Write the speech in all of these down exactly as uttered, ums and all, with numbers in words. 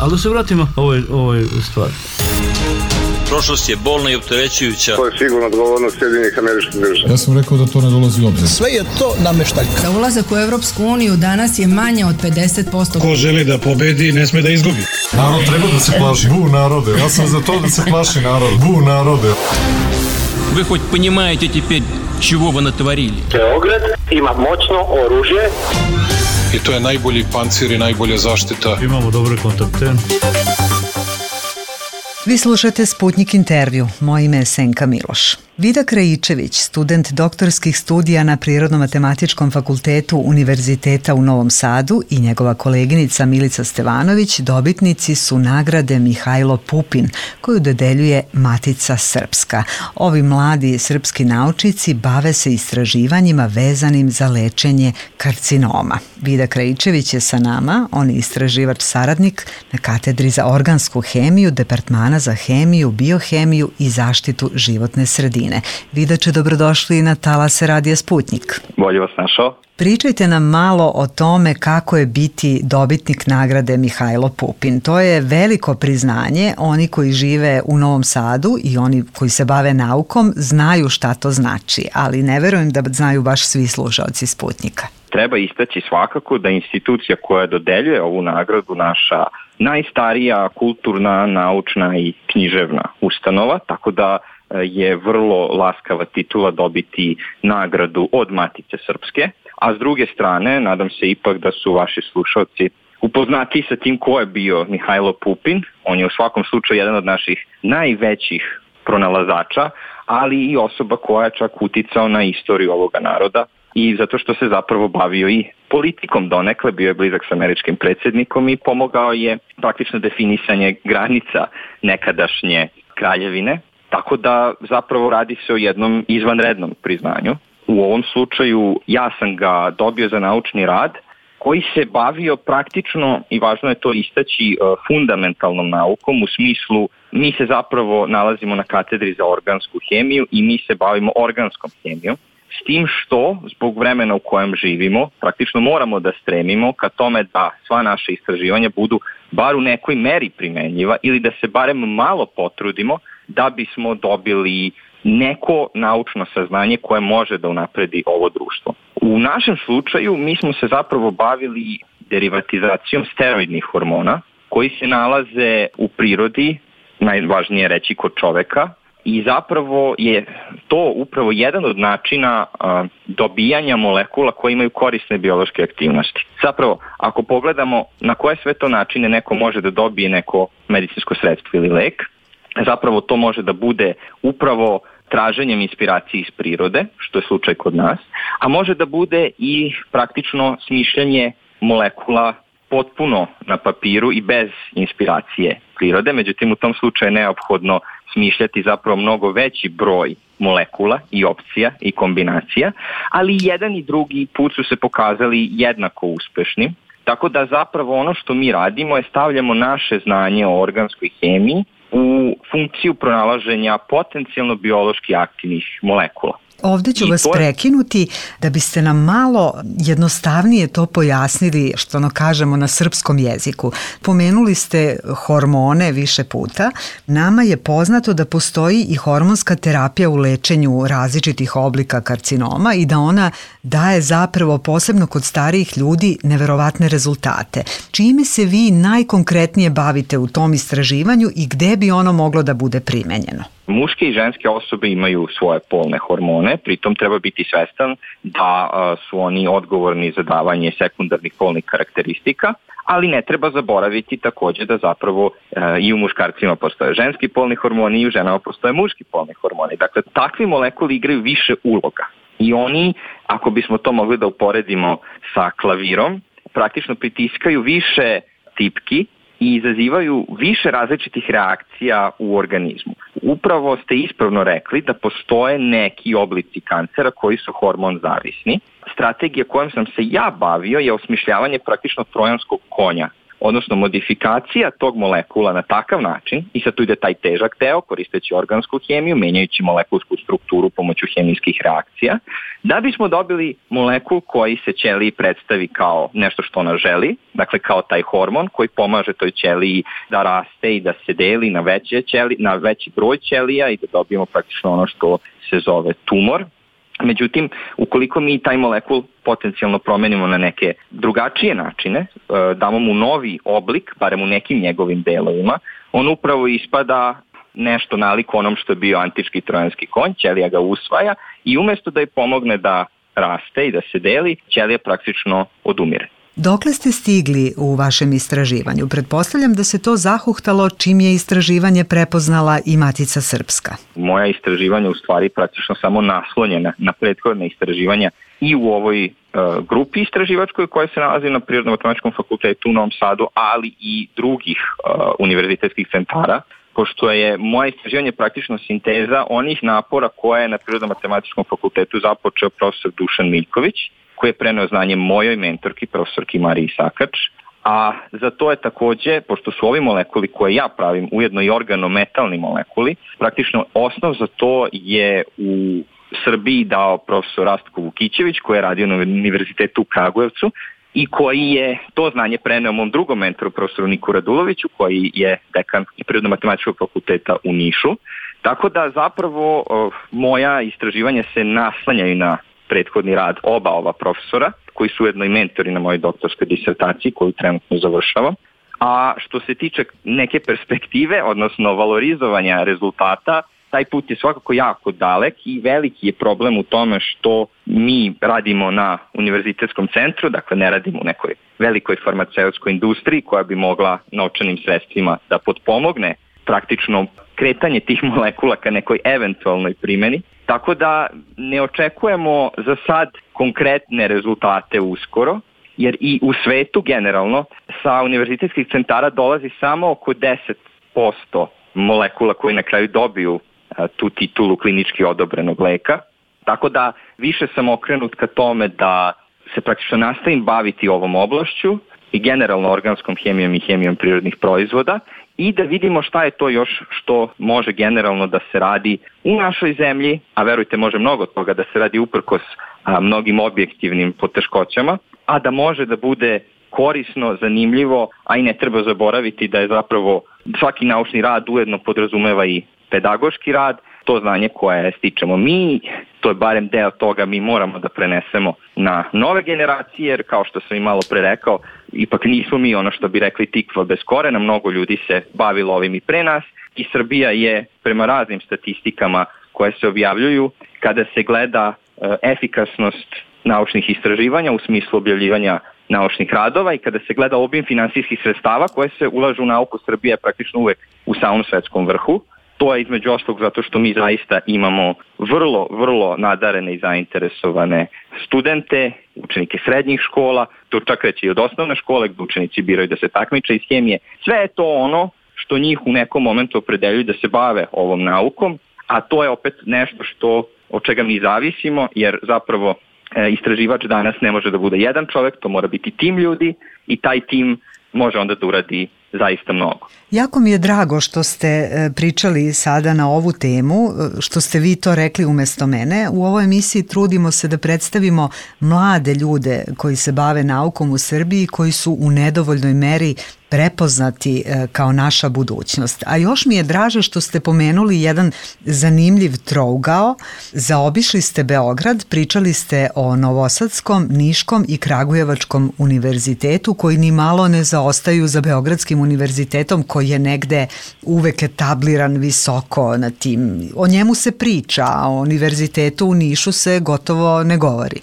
Ali da se vratimo ovoj, ovoj stvari. Prošlost je bolna i opterećujuća. To je sigurno odgovornost Sjedinjenih Američkih Država. Ja sam rekao da to ne dolazi u obzir. Sve je to nameštaljka. Za ulazak u Evropsku uniju danas je manje od pedeset posto. Ko želi da pobedi, ne sme da izgubi. Narod treba da se plaši. Bu narode. Ja sam za to da se plaši narod. Bu narode. Вы хоть понимаете теперь, чего вы натворили? Beograd ima moćno oružje. I to je najbolji pancir i najbolja zaštita. Imamo dobre kontakte. Vi slušate Sputnik intervju. Moje ime je Senka Miloš. Vida Krajičević, student doktorskih studija na Prirodno-matematičkom fakultetu Univerziteta u Novom Sadu i njegova koleginica Milica Stevanović dobitnici su nagrade Mihajlo Pupin, koju dodeljuje Matica Srpska. Ovi mladi srpski naučnici bave se istraživanjima vezanim za lečenje karcinoma. Vida Krajičević je sa nama, on je istraživač saradnik na katedri za organsku hemiju, departmana za hemiju, biohemiju i zaštitu životne sredine. Vidače, dobrodošli na talase Radija Sputnik. Bolje vas našao. Pričajte nam malo o tome kako je biti dobitnik nagrade Mihajlo Pupin. To je veliko priznanje. Oni koji žive u Novom Sadu i oni koji se bave naukom znaju šta to znači, ali ne verujem da znaju baš svi slušaoci Sputnika. Treba istaći svakako da institucija koja dodeljuje ovu nagradu naša najstarija kulturna, naučna i književna ustanova, tako da je vrlo laskava titula dobiti nagradu od Matice Srpske, a s druge strane, nadam se ipak da su vaši slušalci upoznati sa tim ko je bio Mihajlo Pupin. On je u svakom slučaju jedan od naših najvećih pronalazača, ali i osoba koja je čak uticao na istoriju ovoga naroda i zato što se zapravo bavio i politikom donekle, bio je blizak sa američkim predsjednikom i pomogao je praktično definisanje granica nekadašnje kraljevine. Tako da zapravo radi se o jednom izvanrednom priznanju. U ovom slučaju ja sam ga dobio za naučni rad koji se bavio praktično, i važno je to istaći, fundamentalnom naukom u smislu mi se zapravo nalazimo na katedri za organsku hemiju i mi se bavimo organskom hemijom. S tim što, zbog vremena u kojem živimo, praktično moramo da stremimo ka tome da sva naša istraživanja budu bar u nekoj meri primenjiva ili da se barem malo potrudimo da bismo dobili neko naučno saznanje koje može da unapredi ovo društvo. U našem slučaju mi smo se zapravo bavili derivatizacijom steroidnih hormona koji se nalaze u prirodi, najvažnije reći kod čoveka, i zapravo je to upravo jedan od načina a, dobijanja molekula koje imaju korisne biološke aktivnosti. Zapravo, ako pogledamo na koje sve to načine neko može da dobije neko medicinsko sredstvo ili lek, zapravo to može da bude upravo traženjem inspiracije iz prirode, što je slučaj kod nas, a može da bude i praktično smišljanje molekula potpuno na papiru i bez inspiracije prirode, međutim u tom slučaju je neophodno smišljati zapravo mnogo veći broj molekula i opcija i kombinacija, ali jedan i drugi put su se pokazali jednako uspešni, tako da zapravo ono što mi radimo je stavljamo naše znanje o organskoj hemiji u funkciju pronalaženja potencijalno biološki aktivnih molekula. Ovdje ću I vas to... prekinuti da biste nam malo jednostavnije to pojasnili, što ono kažemo na srpskom jeziku. Pomenuli ste hormone više puta. Nama je poznato da postoji i hormonska terapija u lečenju različitih oblika karcinoma i da ona daje zapravo posebno kod starijih ljudi neverovatne rezultate. Čime se vi najkonkretnije bavite u tom istraživanju i gde bi ono moglo da bude primenjeno? Muške i ženske osobe imaju svoje polne hormone, pritom treba biti svestan da su oni odgovorni za davanje sekundarnih polnih karakteristika, ali ne treba zaboraviti također da zapravo i u muškarcima postoje ženski polni hormoni i u ženama postoje muški polni hormoni. Dakle, takvi molekuli igraju više uloga i oni, ako bismo to mogli da uporedimo sa klavirom, praktično pritiskaju više tipki i izazivaju više različitih reakcija u organizmu. Upravo ste ispravno rekli da postoje neki oblici kancera koji su hormon zavisni. Strategija kojom sam se ja bavio je osmišljavanje praktično trojanskog konja odnosno modifikacija tog molekula na takav način, i sad tu ide taj težak deo, koristeći organsku hemiju, menjajući molekulsku strukturu pomoću hemijskih reakcija, da bismo dobili molekul koji se ćeliji predstavi kao nešto što ona želi, dakle kao taj hormon koji pomaže toj ćeliji da raste i da se deli na, veće ćeli, na veći broj ćelija i da dobijemo praktično ono što se zove tumor. Međutim, ukoliko mi taj molekul potencijalno promenimo na neke drugačije načine, damo mu novi oblik, barem u nekim njegovim delovima, on upravo ispada nešto nalik onom što je bio antički trojanski konj, ćelija ga usvaja i umjesto da je pomogne da raste i da se deli, ćelija praktično odumire. Dokle ste stigli u vašem istraživanju? Pretpostavljam da se to zahuhtalo čim je istraživanje prepoznala i Matica Srpska. Moja istraživanja u stvari praktično samo naslonjena na prethodne istraživanja i u ovoj uh, grupi istraživačkoj koja se nalazi na Prirodno-matematičkom fakultetu u Novom Sadu, ali i drugih uh, univerzitetskih centara, pošto je moje istraživanje praktično sinteza onih napora koje je na Prirodno-matematičkom fakultetu započeo profesor Dušan Miljković, koji je preneo znanje mojoj mentorki, profesorki Mariji Sakač, a za to je takođe, pošto su ovi molekuli koje ja pravim ujedno i organometalni molekuli, praktično osnov za to je u Srbiji dao profesor Rastko Vukićević, koji je radio na Univerzitetu u Kragujevcu i koji je to znanje preneo mom drugom mentoru, profesoru Niku Raduloviću, koji je dekan Prirodno-matematičkog fakulteta u Nišu. Tako da zapravo moja istraživanja se naslanjaju na prethodni rad oba ova profesora, koji su ujedno i mentori na mojoj doktorskoj disertaciji koju trenutno završavam. A što se tiče neke perspektive, odnosno valorizovanja rezultata, taj put je svakako jako dalek i veliki je problem u tome što mi radimo na univerzitetskom centru, dakle ne radimo u nekoj velikoj farmaceutskoj industriji koja bi mogla novčanim sredstvima da potpomogne praktično kretanje tih molekula ka nekoj eventualnoj primjeni. Tako da ne očekujemo za sad konkretne rezultate uskoro, jer i u svetu generalno sa univerzitetskih centara dolazi samo oko deset posto molekula koji na kraju dobiju a, tu titulu klinički odobrenog leka. Tako da više sam okrenut ka tome da se praktično nastavim baviti ovom oblašću i generalno organskom hemijom i hemijom prirodnih proizvoda i da vidimo šta je to još što može generalno da se radi u našoj zemlji, a verujte može mnogo toga da se radi uprkos a, mnogim objektivnim poteškoćama, a da može da bude korisno, zanimljivo, a i ne treba zaboraviti da je zapravo svaki naučni rad ujedno podrazumeva i pedagoški rad, to znanje koje stičemo mi, to je barem deo toga mi moramo da prenesemo na nove generacije, jer kao što sam i malo pre rekao, ipak nismo mi ono što bi rekli tikva bez korena, mnogo ljudi se bavilo ovim i pre nas i Srbija je prema raznim statistikama koje se objavljuju, kada se gleda e, efikasnost naučnih istraživanja u smislu objavljivanja naučnih radova i kada se gleda obim finansijskih sredstava koje se ulažu u nauku, Srbija je praktično uvek u samom svetskom vrhu. To je između ostalog zato što mi zaista imamo vrlo, vrlo nadarene i zainteresovane studente, učenike srednjih škola, to čak reći i od osnovne škole gdje učenici biraju da se takmiče iz hemije. Sve je to ono što njih u nekom momentu opredeljuju da se bave ovom naukom, a to je opet nešto što od čega mi zavisimo, jer zapravo e, istraživač danas ne može da bude jedan čovjek, to mora biti tim ljudi i taj tim može onda da uradi zaista mnogo. Jako mi je drago što ste pričali sada na ovu temu, što ste vi to rekli umjesto mene. U ovoj emisiji trudimo se da predstavimo mlade ljude koji se bave naukom u Srbiji, koji su u nedovoljnoj meri prepoznati kao naša budućnost. A još mi je draže što ste pomenuli jedan zanimljiv trougao. Zaobišli ste Beograd, pričali ste o Novosadskom, Niškom i Kragujevačkom univerzitetu koji ni malo ne zaostaju za Beogradskim univerzitetom koji je negde uvek etabliran visoko na tim. O njemu se priča, a o univerzitetu u Nišu se gotovo ne govori.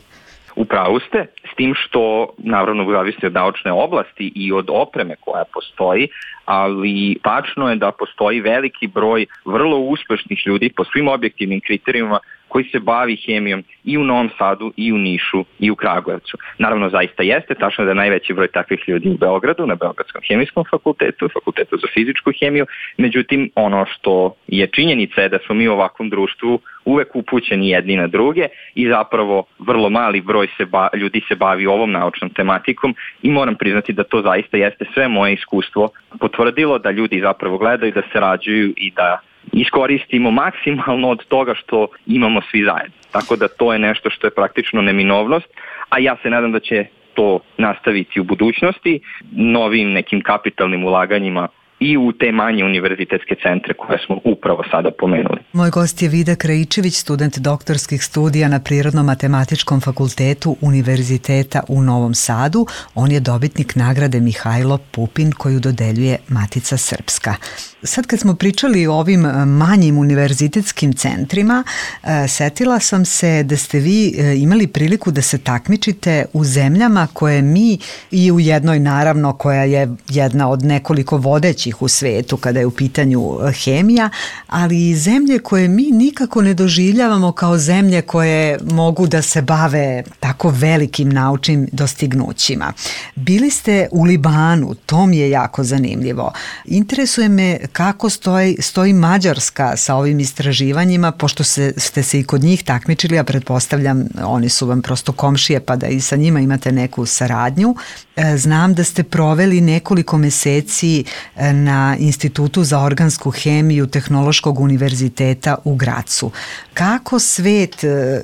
Upravo ste, s tim što naravno zavisi od naučne oblasti i od opreme koja postoji, ali tačno je da postoji veliki broj vrlo uspešnih ljudi po svim objektivnim kriterijima koji se bavi hemijom i u Novom Sadu, i u Nišu, i u Kragujevcu. Naravno, zaista jeste, tačno da je najveći broj takvih ljudi u Beogradu, na Beogradskom hemijskom fakultetu, fakultetu za fizičku hemiju, međutim, ono što je činjenica je da smo mi u ovakvom društvu uvek upućeni jedni na druge i zapravo vrlo mali broj se ba, ljudi se bavi ovom naučnom tematikom i moram priznati da to zaista jeste sve moje iskustvo potvrdilo da ljudi zapravo gledaju, da se rađuju i da iskoristimo maksimalno od toga što imamo svi zajedno. Tako da to je nešto što je praktično neminovnost, a ja se nadam da će to nastaviti u budućnosti novim nekim kapitalnim ulaganjima i u te manje univerzitetske centre koje smo upravo sada pomenuli. Moj gost je Vida Krajičević, student doktorskih studija na Prirodno-matematičkom fakultetu Univerziteta u Novom Sadu. On je dobitnik nagrade Mihajlo Pupin koju dodeljuje Matica Srpska. Sad kad smo pričali o ovim manjim univerzitetskim centrima, setila sam se da ste vi imali priliku da se takmičite u zemljama koje mi i u jednoj naravno koja je jedna od nekoliko vodećih u svetu kada je u pitanju hemija, ali i zemlje koje mi nikako ne doživljavamo kao zemlje koje mogu da se bave tako velikim naučnim dostignućima. Bili ste u Libanu, to mi je jako zanimljivo. Interesuje me kako stoji, stoji Mađarska sa ovim istraživanjima, pošto se, ste se i kod njih takmičili, a pretpostavljam oni su vam prosto komšije pa da i sa njima imate neku saradnju. Znam da ste proveli nekoliko meseci na Institutu za organsku hemiju Tehnološkog univerziteta u Gracu. Kako svet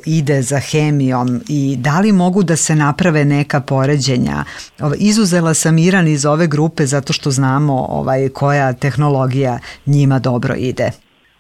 ide za hemijom i da li mogu da se naprave neka poređenja? Izuzela sam Iran iz ove grupe zato što znamo ovaj, koja tehnologija njima dobro ide.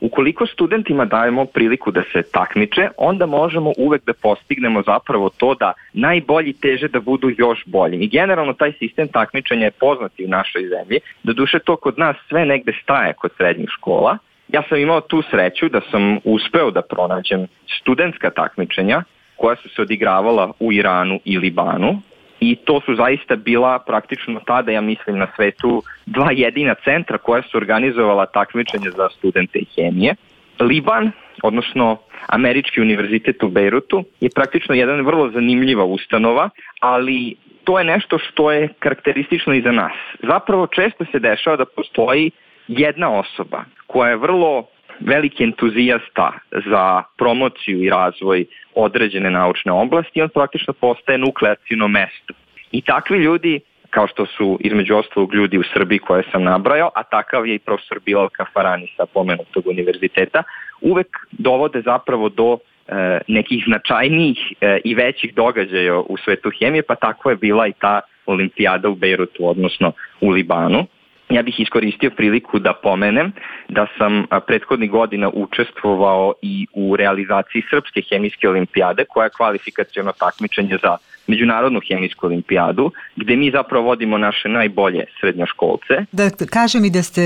Ukoliko studentima dajemo priliku da se takmiče, onda možemo uvek da postignemo zapravo to da najbolji teže da budu još bolji. I generalno taj sistem takmičenja je poznat i u našoj zemlji. Doduše to kod nas sve negde staje kod srednjih škola. Ja sam imao tu sreću da sam uspeo da pronađem studentska takmičenja koja su se odigravala u Iranu i Libanu. I to su zaista bila praktično tada, ja mislim, na svetu dva jedina centra koja su organizovala takmičenje za studente hemije. Liban, odnosno Američki univerzitet u Bejrutu, je praktično jedan vrlo zanimljiva ustanova, ali to je nešto što je karakteristično i za nas. Zapravo često se dešava da postoji jedna osoba koja je vrlo veliki entuzijasta za promociju i razvoj određene naučne oblasti i on praktično postaje nukleaciono mesto. I takvi ljudi, kao što su između ostalog ljudi u Srbiji koje sam nabrajao, a takav je i profesor Bilal Kafarani sa pomenutog univerziteta, uvek dovode zapravo do e, nekih značajnijih e, i većih događaja u svetu hemije, pa tako je bila i ta olimpijada u Bejrutu, odnosno u Libanu. Ja bih iskoristio priliku da pomenem da sam prethodnih godina učestvovao i u realizaciji Srpske hemijske olimpijade, koja je kvalifikaciono takmičenje za Međunarodnu hemijsku olimpijadu, gde mi zapravo vodimo naše najbolje srednjoškolce. Da kažem i da ste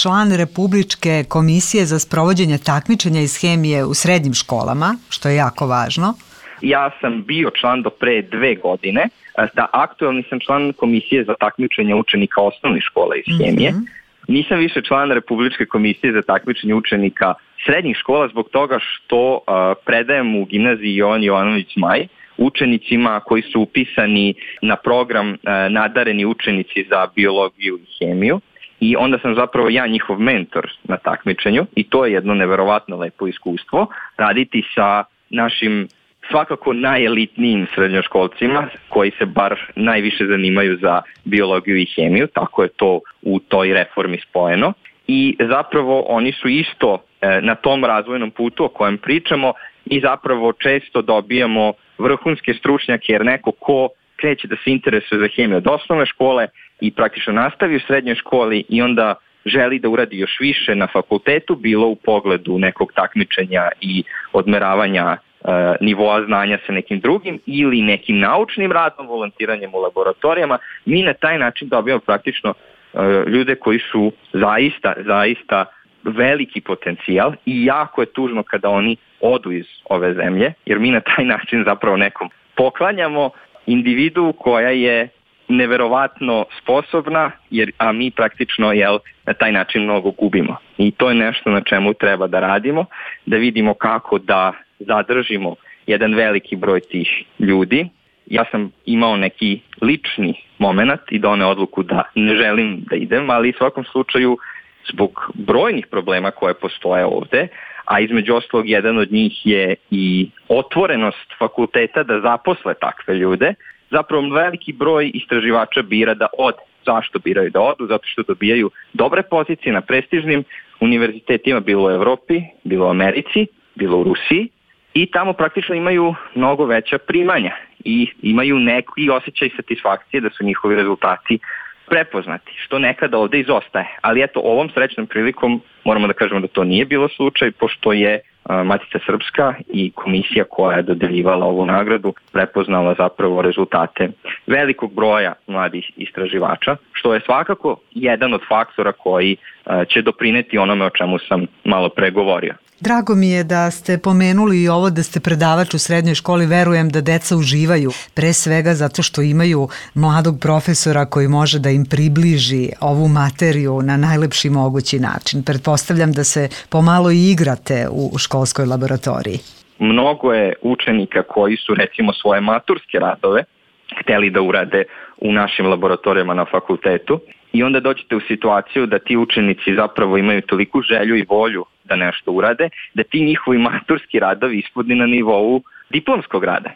član Republičke komisije za sprovođenje takmičenja iz hemije u srednjim školama, što je jako važno. Ja sam bio član do pre dve godine, da aktualni sam član komisije za takmičenje učenika osnovnih škola iz hemije. Mm-hmm. Nisam više član Republičke komisije za takmičenje učenika srednjih škola zbog toga što uh, predajem u gimnaziji Jovan Jovanović Zmaj učenicima koji su upisani na program uh, nadareni učenici za biologiju i hemiju. I onda sam zapravo ja njihov mentor na takmičenju i to je jedno neverovatno lepo iskustvo, raditi sa našim svakako najelitnijim srednjoškolcima koji se bar najviše zanimaju za biologiju i hemiju, tako je to u toj reformi spojeno. I zapravo oni su isto e, na tom razvojnom putu o kojem pričamo i zapravo često dobijamo vrhunske stručnjake jer neko ko kreće da se interesuje za hemiju od osnovne škole i praktično nastavi u srednjoj školi i onda želi da uradi još više na fakultetu, bilo u pogledu nekog takmičenja i odmeravanja nivoa znanja sa nekim drugim ili nekim naučnim radom, volontiranjem u laboratorijama, mi na taj način dobijamo praktično uh, ljude koji su zaista, zaista veliki potencijal i jako je tužno kada oni odu iz ove zemlje, jer mi na taj način zapravo nekom poklanjamo individu koja je neverovatno sposobna, jer, a mi praktično jel, na taj način mnogo gubimo. I to je nešto na čemu treba da radimo, da vidimo kako da zadržimo jedan veliki broj tih ljudi. Ja sam imao neki lični moment i doneo odluku da ne želim da idem, ali u svakom slučaju zbog brojnih problema koje postoje ovde, a između ostalog jedan od njih je i otvorenost fakulteta da zaposle takve ljude, zapravo veliki broj istraživača bira da ode. Zašto biraju da odu? Zato što dobijaju dobre pozicije na prestižnim univerzitetima, bilo u Evropi, bilo u Americi, bilo u Rusiji, i tamo praktično imaju mnogo veća primanja i imaju neki osjećaj satisfakcije da su njihovi rezultati prepoznati, što nekada ovde izostaje. Ali eto, ovom srećnom prilikom moramo da kažemo da to nije bilo slučaj, pošto je Matica Srpska i komisija koja je dodeljivala ovu nagradu prepoznala zapravo rezultate velikog broja mladih istraživača, što je svakako jedan od faktora koji će doprineti onome o čemu sam malo pre govorio. Drago mi je da ste pomenuli i ovo da ste predavač u srednjoj školi. Verujem da deca uživaju, pre svega zato što imaju mladog profesora koji može da im približi ovu materiju na najlepši mogući način. Pretpostavljam da se pomalo i igrate u školskoj laboratoriji. Mnogo je učenika koji su recimo svoje maturske radove hteli da urade u našim laboratorijama na fakultetu i onda dođete u situaciju da ti učenici zapravo imaju toliku želju i volju da nešto urade, da ti njihovi maturski radovi ispodni na nivou diplomskog rada.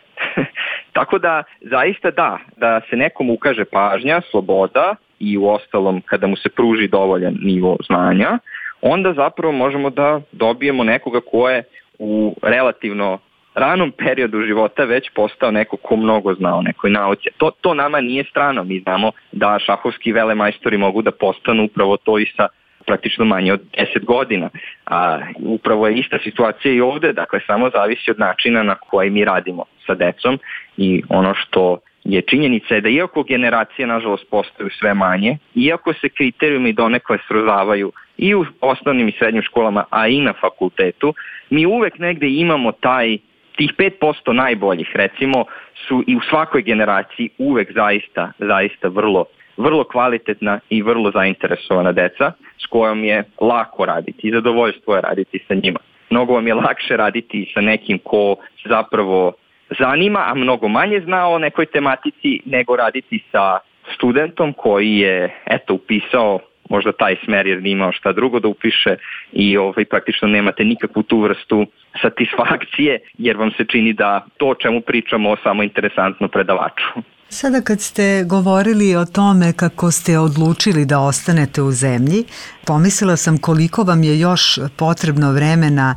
Tako da, zaista da, da se nekom ukaže pažnja, sloboda i u ostalom kada mu se pruži dovoljan nivo znanja, onda zapravo možemo da dobijemo nekoga ko je u relativno ranom periodu života već postao neko ko mnogo zna o nekoj nauci. To, to nama nije strano. Mi znamo da šahovski velemajstori mogu da postanu upravo to i sa praktično manje od deset godina. A upravo je ista situacija i ovde, dakle samo zavisi od načina na koji mi radimo sa decom i ono što je činjenica je da iako generacije nažalost postaju sve manje, iako se kriterijumi donekle srozavaju i u osnovnim i srednjim školama, a i na fakultetu, mi uvek negde imamo taj, tih pet posto najboljih, recimo, su i u svakoj generaciji uvek zaista, zaista vrlo vrlo kvalitetna i vrlo zainteresovana deca s kojom je lako raditi i zadovoljstvo je raditi sa njima. Mnogo vam je lakše raditi sa nekim ko zapravo zanima, a mnogo manje zna o nekoj tematici nego raditi sa studentom koji je eto upisao možda taj smer jer nije imao šta drugo da upiše i ovaj, praktično nemate nikakvu tu vrstu satisfakcije jer vam se čini da to o čemu pričamo samo interesantno predavaču. Sada kad ste govorili o tome kako ste odlučili da ostanete u zemlji, pomislila sam koliko vam je još potrebno vremena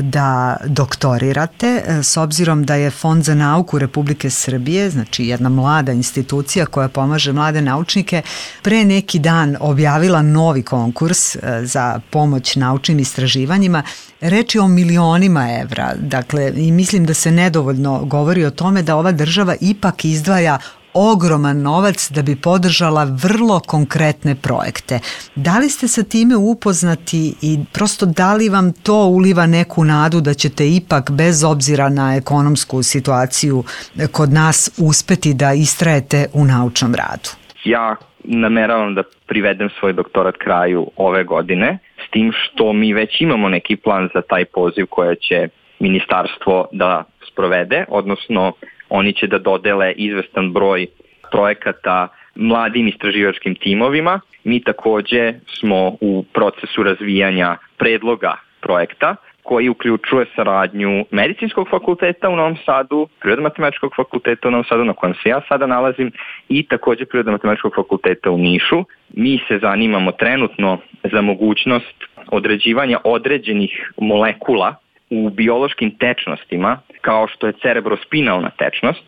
da doktorirate, s obzirom da je Fond za nauku Republike Srbije, znači jedna mlada institucija koja pomaže mlade naučnike, pre neki dan objavila novi konkurs za pomoć naučnim istraživanjima. Reč je o milionima evra, dakle, i mislim da se nedovoljno govori o tome da ova država ipak izdvaja ogroman novac da bi podržala vrlo konkretne projekte. Da li ste sa time upoznati i prosto da li vam to uliva neku nadu da ćete ipak bez obzira na ekonomsku situaciju kod nas uspeti da istrajete u naučnom radu? Ja nameravam da privedem svoj doktorat kraju ove godine, s tim što mi već imamo neki plan za taj poziv koje će ministarstvo da sprovede, odnosno oni će da dodele izvestan broj projekata mladim istraživačkim timovima. Mi takođe smo u procesu razvijanja predloga projekta koji uključuje saradnju Medicinskog fakulteta u Novom Sadu, Prirodno-matematičkog fakulteta u Novom Sadu na kojem se ja sada nalazim i takođe Prirodno-matematičkog fakulteta u Nišu. Mi se zanimamo trenutno za mogućnost određivanja određenih molekula u biološkim tečnostima, kao što je cerebrospinalna tečnost,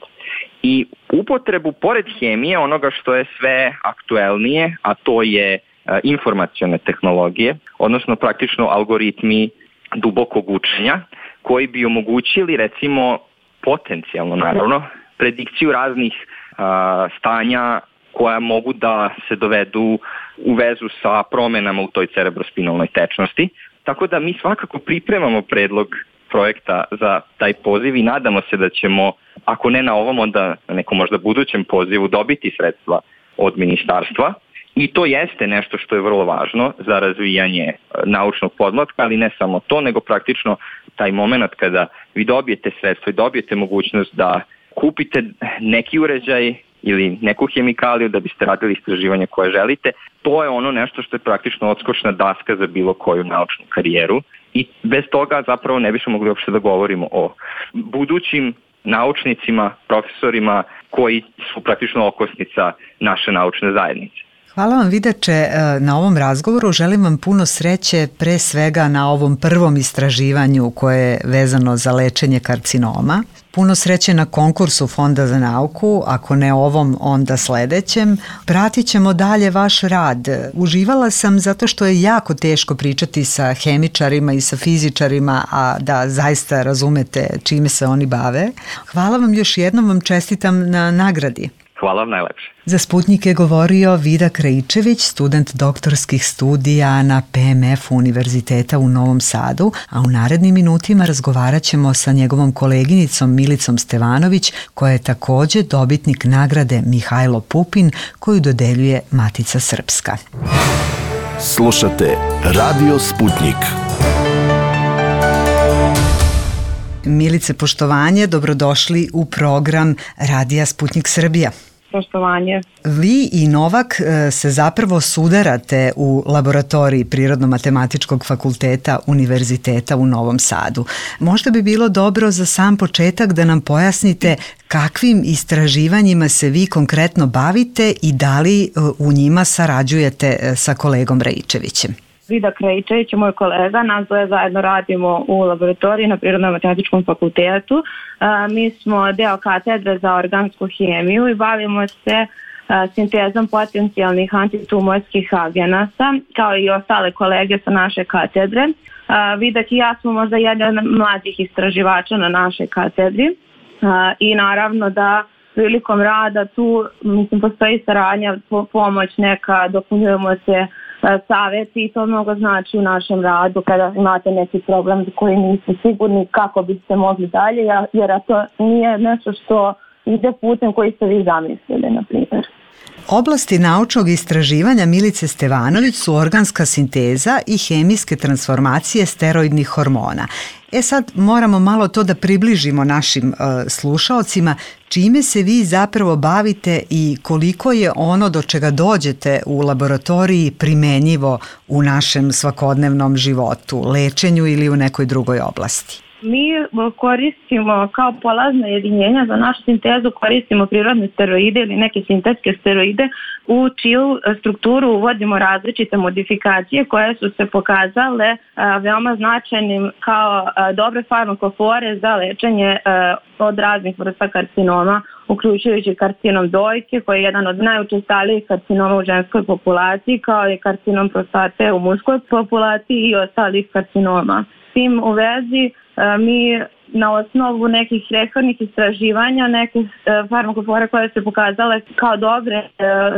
i upotrebu pored hemije onoga što je sve aktuelnije, a to je informacione tehnologije, odnosno praktično algoritmi dubokog učenja, koji bi omogućili recimo potencijalno naravno predikciju raznih a, stanja koja mogu da se dovedu u vezu sa promenama u toj cerebrospinalnoj tečnosti. Tako da mi svakako pripremamo predlog projekta za taj poziv i nadamo se da ćemo, ako ne na ovom, onda na nekom možda budućem pozivu dobiti sredstva od ministarstva. I to jeste nešto što je vrlo važno za razvijanje naučnog podmlatka, ali ne samo to, nego praktično taj moment kada vi dobijete sredstvo i dobijete mogućnost da kupite neki uređaj ili neku hemikaliju da biste radili istraživanje koje želite, to je ono nešto što je praktično odskočna daska za bilo koju naučnu karijeru i bez toga zapravo ne bismo mogli uopšte da govorimo o budućim naučnicima, profesorima koji su praktično okosnica naše naučne zajednice. Hvala vam, Vidače, na ovom razgovoru. Želim vam puno sreće pre svega na ovom prvom istraživanju koje je vezano za lečenje karcinoma. Puno sreće na konkursu Fonda za nauku, ako ne ovom, onda sledećem. Pratit ćemo dalje vaš rad. Uživala sam zato što je jako teško pričati sa hemičarima i sa fizičarima, a da zaista razumete čime se oni bave. Hvala vam još jednom, vam čestitam na nagradi. Hvala vam najlepše. Za Sputnik je govorio Vida Krajičević, student doktorskih studija na P M F Univerziteta u Novom Sadu, a u narednim minutima razgovarat ćemo sa njegovom koleginicom Milicom Stevanović, koja je takođe dobitnik nagrade Mihajlo Pupin, koju dodeljuje Matica Srpska. Slušate Radio Sputnik. Milice, poštovanje, dobrodošli u program Radija Sputnik Srbija. Poštovanje. Vi i Novak se zapravo sudarate u laboratoriji Prirodno-matematičkog fakulteta Univerziteta u Novom Sadu. Možda bi bilo dobro za sam početak da nam pojasnite kakvim istraživanjima se vi konkretno bavite i da li u njima sarađujete sa kolegom Rajičevićem. Vida Krajičević je moj kolega, nas dvoje zajedno radimo u laboratoriji na Prirodno-matematičkom fakultetu. Mi smo deo katedre za organsku hemiju i bavimo se sintezom potencijalnih antitumorskih agenasa, kao i ostale kolege sa naše katedre. Vidak i ja smo možda jedan od mlađih istraživača na našoj katedri i naravno da prilikom rada tu mislim, postoji saradnja, pomoć neka, dopunjujemo se savjeti i to mnogo znači u našem radu kada imate neki problem za koji niste sigurni kako biste mogli dalje, jer to nije nešto što ide putem koji ste vi zamislili, na primjer. Oblasti naučnog istraživanja Milice Stevanović su organska sinteza i hemijske transformacije steroidnih hormona. E sad moramo malo to da približimo našim uh, slušaocima, čime se vi zapravo bavite i koliko je ono do čega dođete u laboratoriji primenjivo u našem svakodnevnom životu, lečenju ili u nekoj drugoj oblasti. Mi koristimo kao polazna jedinjenja za našu sintezu, koristimo prirodne steroide ili neke sintetske steroide u čiju strukturu uvodimo različite modifikacije koje su se pokazale veoma značajnim kao dobre farmakofore za lečenje od raznih vrsta karcinoma, uključujući karcinom dojke koji je jedan od najučestalijih karcinoma u ženskoj populaciji, kao i karcinom prostate u muškoj populaciji i ostalih karcinoma. S tim u vezi mi na osnovu nekih prethodnih istraživanja, neke farmakofore koje se pokazale kao dobre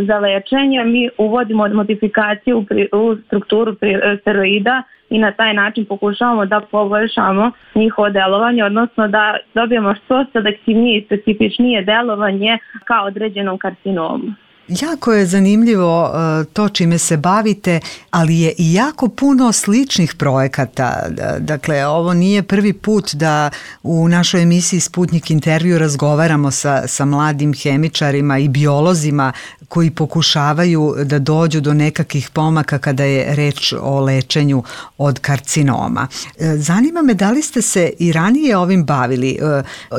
za lečenje, mi uvodimo modifikaciju u strukturu steroida i na taj način pokušavamo da poboljšamo njihovo delovanje, odnosno da dobijemo što selektivnije i specifičnije delovanje kao određenom karcinomu. Jako je zanimljivo to čime se bavite, ali je i jako puno sličnih projekata. Dakle, ovo nije prvi put da u našoj emisiji Sputnik intervju razgovaramo sa, sa mladim hemičarima i biolozima koji pokušavaju da dođu do nekakvih pomaka kada je reč o lečenju od karcinoma. Zanima me da li ste se i ranije ovim bavili,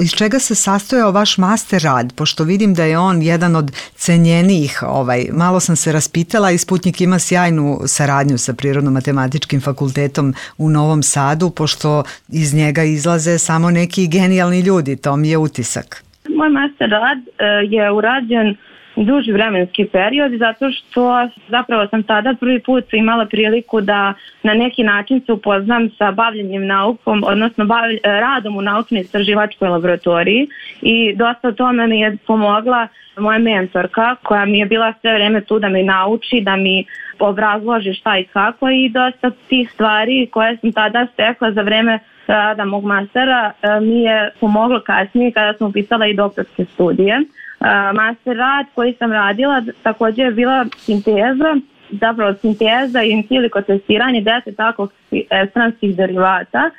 iz čega se sastojao vaš master rad, pošto vidim da je on jedan od cenjenijih. Ovaj, malo sam se raspitala i Sputnik ima sjajnu saradnju sa Prirodno-matematičkim fakultetom u Novom Sadu, pošto iz njega izlaze samo neki genijalni ljudi, to mi je utisak. Moj master rad je urađen duži vremenski period zato što zapravo sam tada prvi put imala priliku da na neki način se upoznam sa bavljenjem naukom, odnosno bavlj, radom u naučno-istraživačkoj laboratoriji i dosta tome mi je pomogla moja mentorka koja mi je bila sve vreme tu da me nauči, da mi obrazloži šta i kako i dosta tih stvari koje sam tada stekla za vreme rada mog mastera mi je pomoglo kasnije kada sam upisala i doktorske studije. Master rad koji sam radila također je bila sinteza, zapravo sinteza i in silico testiranje deset takvih estranskih derivata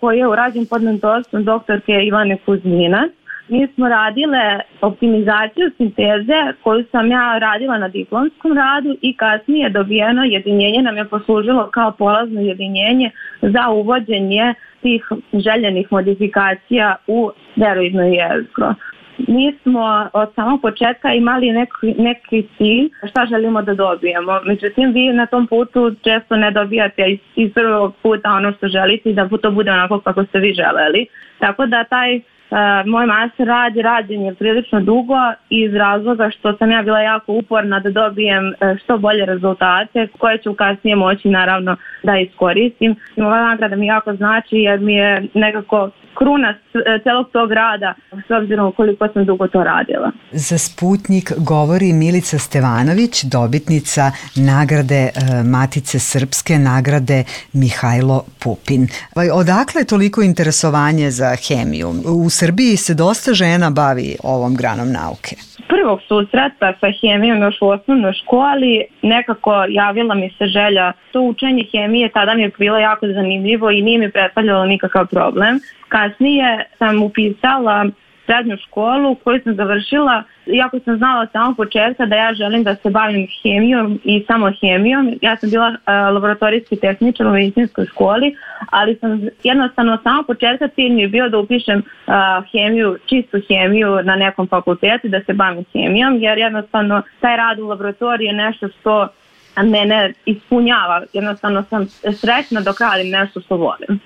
koji je urađen pod mentorstvom doktorke Ivane Kuzmina. Mi smo radile optimizaciju sinteze koju sam ja radila na diplomskom radu i kasnije dobijeno jedinjenje nam je poslužilo kao polazno jedinjenje za uvođenje tih željenih modifikacija u steroidno jezgro. Mi smo od samog početka imali neki, neki cilj šta želimo da dobijemo. Međutim, vi na tom putu često ne dobijate iz, iz prvog puta ono što želite i da to bude onako kako ste vi želeli. Tako da taj Uh, moj master rad je rađen je prilično dugo iz razloga što sam ja bila jako uporna da dobijem uh, što bolje rezultate koje ću kasnije moći naravno da iskoristim. I ova nagrada mi jako znači jer mi je nekako kruna celog tog rada s obzirom koliko sam dugo to radila. Za Sputnjik govori Milica Stevanović, dobitnica nagrade Matice Srpske, nagrade Mihajlo Pupin. Odakle je toliko interesovanje za hemiju? U Srbiji se dosta žena bavi ovom granom nauke. Prvog susreta sa hemijom još u osnovnoj školi nekako javila mi se želja. To učenje hemije tada mi je bilo jako zanimljivo i nije mi predstavljalo nikakav problem. Kasnije sam upisala srednju školu koju sam završila, iako sam znala od samog početka da ja želim da se bavim hemijom i samo hemijom. Ja sam bila uh, laboratorijski tehničar u medicinskoj školi, ali sam jednostavno od samog početka cilj mi je bio da upišem uh, hemiju, čistu hemiju na nekom fakultetu, da se bavim hemijom, jer jednostavno taj rad u laboratoriji je nešto što mene ispunjava. Jednostavno sam srećna dok radim nešto što volim.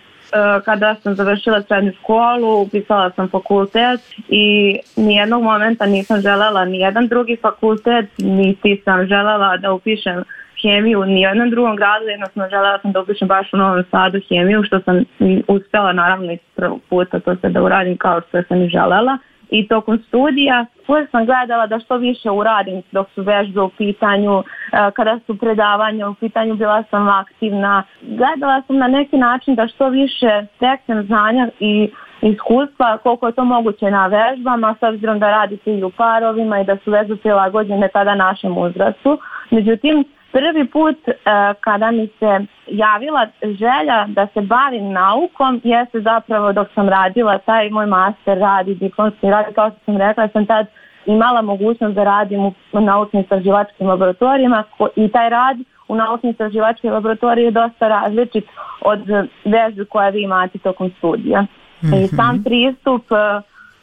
Kada sam završila srednju školu, upisala sam fakultet i nijednog momenta nisam želela nijedan drugi fakultet, niti sam želela da upišem hemiju u nijednom drugom gradu, jednostavno želela sam da upišem baš u Novom Sadu hemiju, što sam uspjela naravno iz prvog puta to se da uradim kao što sam i želela. I tokom studija uvijek sam gledala da što više uradim dok su vežbe u pitanju, kada su predavanja u pitanju, bila sam aktivna. Gledala sam na neki način da što više steknem znanja i iskustva koliko je to moguće na vežbama, s obzirom da radite i u parovima i da su vežbe prilagođene tada našem uzrastu. Međutim, prvi put uh, kada mi se javila želja da se bavim naukom jeste zapravo dok sam radila taj moj master rad i diplomski rad. Kao što sam rekla, sam tad imala mogućnost da radim u naučno-istraživačkim laboratorijima i taj rad u naučno-istraživačkim laboratoriji je dosta različit od vežbi koje vi imate tokom studija. Mm-hmm. I sam pristup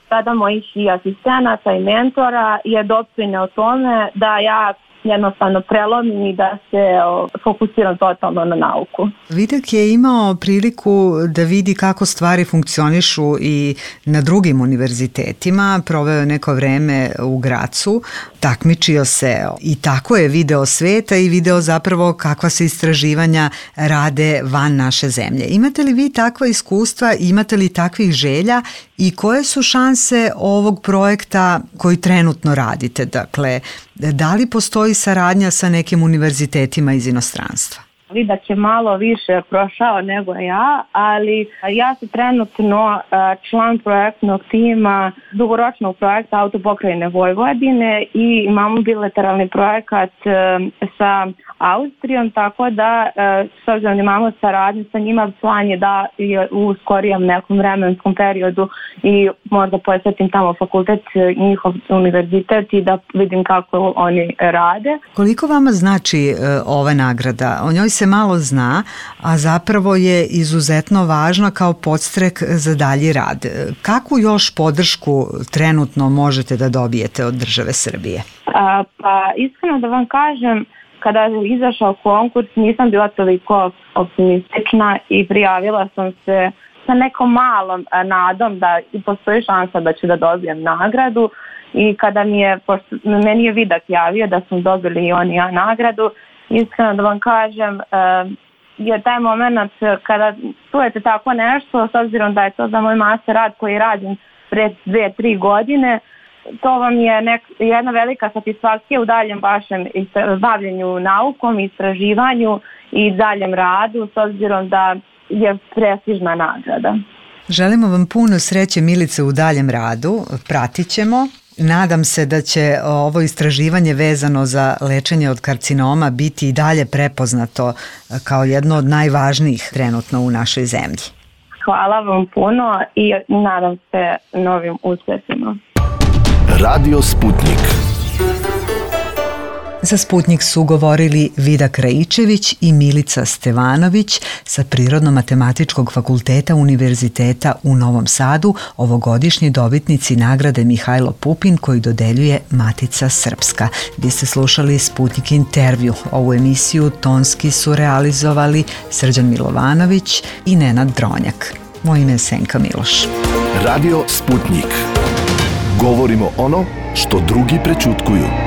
tada mojih i asistenata i mentora je doprineo tome da ja jednostavno prelomim i da se o, fokusiram totalno na nauku. Vidak je imao priliku da vidi kako stvari funkcionišu i na drugim univerzitetima, proveo je neko vreme u Gracu, takmičio se i tako je video sveta i video zapravo kakva se istraživanja rade van naše zemlje. Imate li vi takva iskustva, imate li takvih želja i koje su šanse ovog projekta koji trenutno radite? Dakle, da li postoji saradnja sa nekim univerzitetima iz inostranstva? Vidak je malo više prošao nego ja, ali ja sam trenutno član projektnog tima dugoročnog projekta Autopokrajine Vojvodine i imamo bilateralni projekat sa Austrijom, tako da s obzirom da imamo saradnju sa njima, plan je da je u skorijem nekom vremenskom periodu i možda posjetim tamo fakultet, njihov univerzitet i da vidim kako oni rade. Koliko vama znači ova nagrada? O njoj se malo zna, a zapravo je izuzetno važna kao podstrek za dalji rad. Kakvu još podršku trenutno možete da dobijete od države Srbije? A, pa iskreno da vam kažem, kada je izašao konkurs nisam bila toliko optimistična i prijavila sam se sa nekom malom nadom da postoji šansa da ću da dobijem nagradu i kada mi je, pošto meni je Vidak javio da sam dobili i oni ja nagradu, iskreno da vam kažem, je taj moment kada čujete tako nešto, s obzirom da je to za moj master rad koji je rađen pre dve, tri godine, to vam je nek, jedna velika satisfakcija u daljem vašem bavljenju naukom, istraživanju i daljem radu, s obzirom da je prestižna nagrada. Želimo vam puno sreće, Milice, u daljem radu, pratit ćemo. Nadam se da će ovo istraživanje vezano za lečenje od karcinoma biti i dalje prepoznato kao jedno od najvažnijih trenutno u našoj zemlji. hvala vam puno i nadam se novim uspjesima. Radio Sputnik. Za Sputnik su govorili Vida Krajičević i Milica Stevanović sa Prirodno-matematičkog fakulteta Univerziteta u Novom Sadu, ovogodišnji dobitnici nagrade Mihajlo Pupin koju dodeljuje Matica Srpska. Vi ste slušali Sputnik intervju. Ovu emisiju tonski su realizovali Srđan Milovanović i Nenad Dronjak. Moje ime je Senka Miloš. Radio Sputnik. Govorimo ono što drugi prećutkuju.